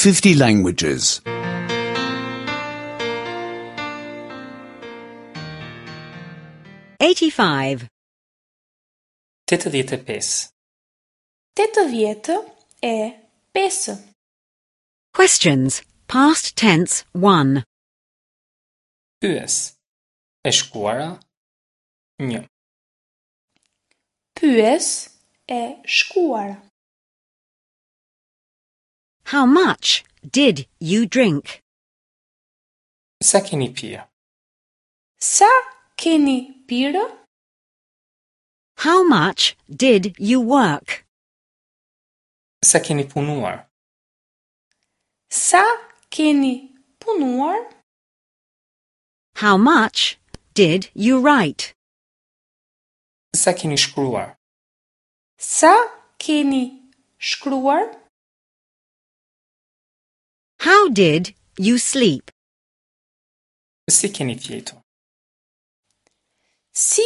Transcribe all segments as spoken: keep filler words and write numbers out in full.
fifty languages. eighty-five. Tetëdhjetë e pesë. Tetëdhjetë e pesë. Questions. Past tense one. Pyes. E shkuara një. Pyes e shkuara. How much did you drink? Sa keni pirë? Sa keni pirë? How much did you work? Sa keni punuar? Sa keni punuar? How much did you write? Sa keni shkruar? Sa keni shkruar? How did you sleep? Si keni fjetur? Si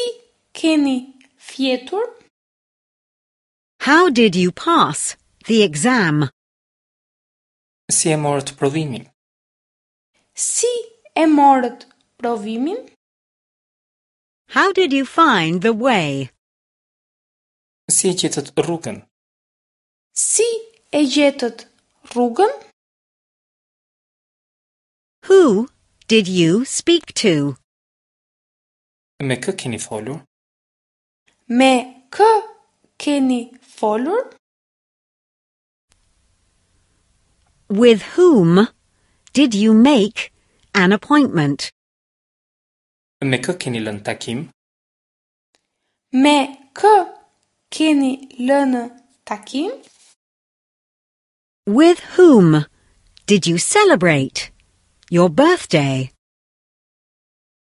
keni fjetur? How did you pass the exam? Si e morët provimin? Si e morët provimin? How did you find the way? Si e gjetët rrugën? Si e gjetët rrugën? Who did you speak to? Me kë keni folur? Me kë keni folur? With whom did you make an appointment? Me kë keni lënë takim? Me kë keni lënë takim? With whom did you celebrate your birthday?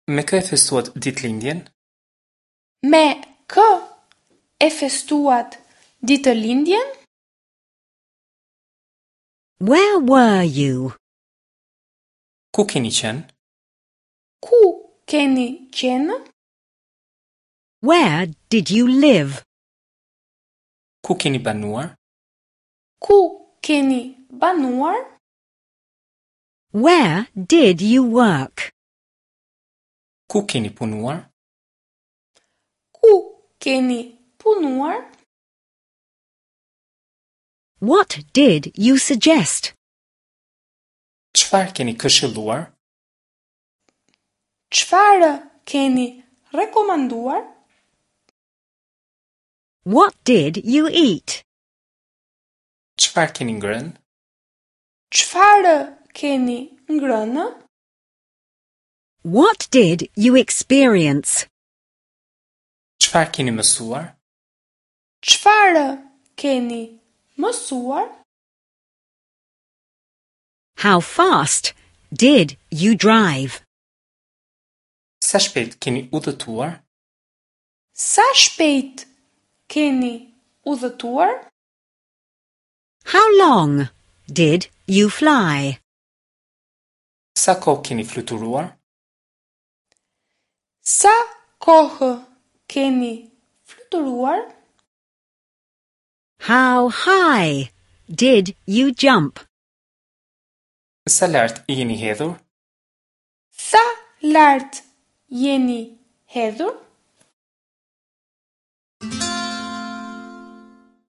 Me kë e festuat ditëlindjen? Me kë e festuat ditëlindjen? Where were you? Ku keni qenë? Ku keni qenë? Where did you live? Ku keni banuar? Ku keni banuar? Where did you work? Ku keni punuar? Ku keni punuar? What did you suggest? Çfarë keni këshilluar? Çfarë keni rekomanduar? What did you eat? Çfarë keni ngrënë? Çfarë keni ngrënë? What did you experience? Çfarë keni mësuar? Çfarë keni mësuar? How fast did you drive? Sa shpejt keni udhëtuar? Sa shpejt keni udhëtuar? How long did you fly? Sa kohë keni fluturuar? Sa kohë keni fluturuar? How high did you jump? Sa lart jeni hedhur? Sa lart jeni hedhur?